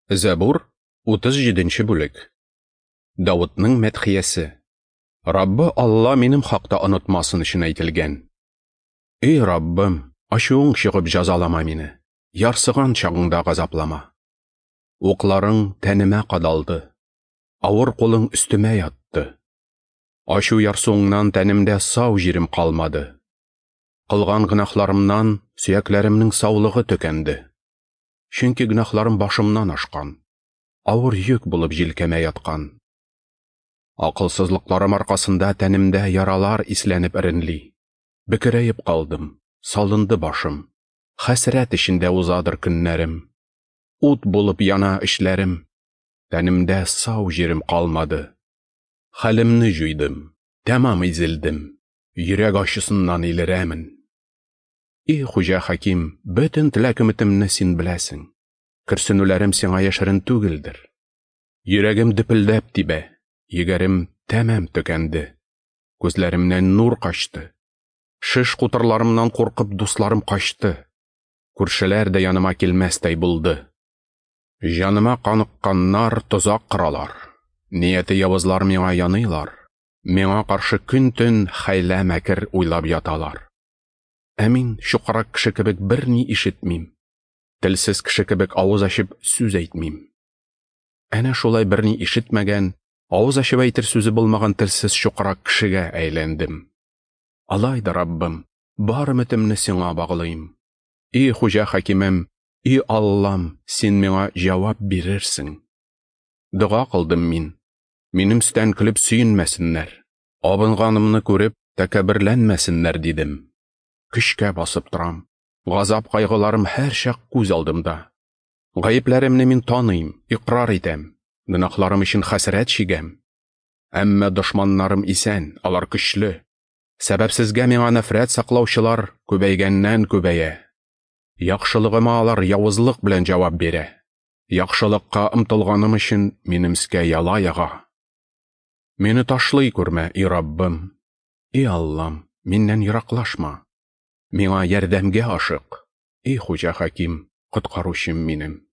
Зәбур, 37 бүлек. Давытның мәдхиясе. Раббы Алла минем хакта онытмасын өчен әйтелгән. Эй, Раббым, ачуың чыгып җәзалама мине, ярсыган чагыңда газаплама. Укларың тәнемә кадалды, авыр кулың өстемә ятты. Ачу ярсуыңнан тәнемдә сау җирем калмады. Кылган гөнаһларымнан сөякләремнең саулыгы төкәнде. Чөнки гөнаһларым башымнан ашкан, авыр йөк булып җилкәмә яткан. Акылсызлыкларым аркасында тәнемдә яралар исләнеп эренли. Бөкерәеп калдым, салынды башым. Хәсрәт эчендә узадыр көннәрем. Ут булып яна эчләрем. Тәнемдә сау җирем калмады. Хәлемне җуйдым, тәмам изелдем. Йөрәк ачысыннан илерәмен. И Хуҗа Хаким, бөтен теләк өметемне син беләсең. Көрсенүләрем сиңа яшерен түгелдер. Йөрәгем дөпелдәп тибә, егәрем тәмам төкәнде. Күзләремнән нур качты. Шеш кутырларымнан куркып дусларым качты. Күршеләр дә яныма килмәстәй булды. Җаныма каныкканнар тозак коралар. Нияте явызлар миңа яныйлар. Миңа каршы көн-төн хәйлә мәкер уйлап яталар. Ә мин чукрак кеше кебек берни ишетмим. Телсез кеше кебек авыз ачып сүз әйтмим. Әнә шулай берни ишетмәгән, авыз ачып әйтер сүзе булмаган телсез чукрак кешегә әйләндем. Алай да, Раббым, бар өметемне сиңа баглыйм. И Хуҗа Хакимем, и Аллам, син миңа җавап бирерсең. Дога кылдым мин. Минем өстән көлеп сөенмәсеннәр. Абынганымны күреп, тәкәбберләнмәсеннәр, дидем. Көчкә басып торам. Газап кайгыларым һәрчак күз алдымда. Гаепләремне мин таныйм, икърар итәм. Гөнаһларым өчен хәсрәт чигәм. Әмма дошманнарым исән, алар көчле. Сәбәпсезгә миңа нәфрәт саклаучылар күбәйгәннән күбәя. Яхшылыгыма алар явызлык белән җавап бирә. Яхшылыкка омтылганым өчен минем өскә яла яга. Мине ташлый күрмә, и Раббым, и Аллам, миннән ераклашма. Миңа ярдәмгә ашык, и Хуҗа Хаким, коткаручым минем.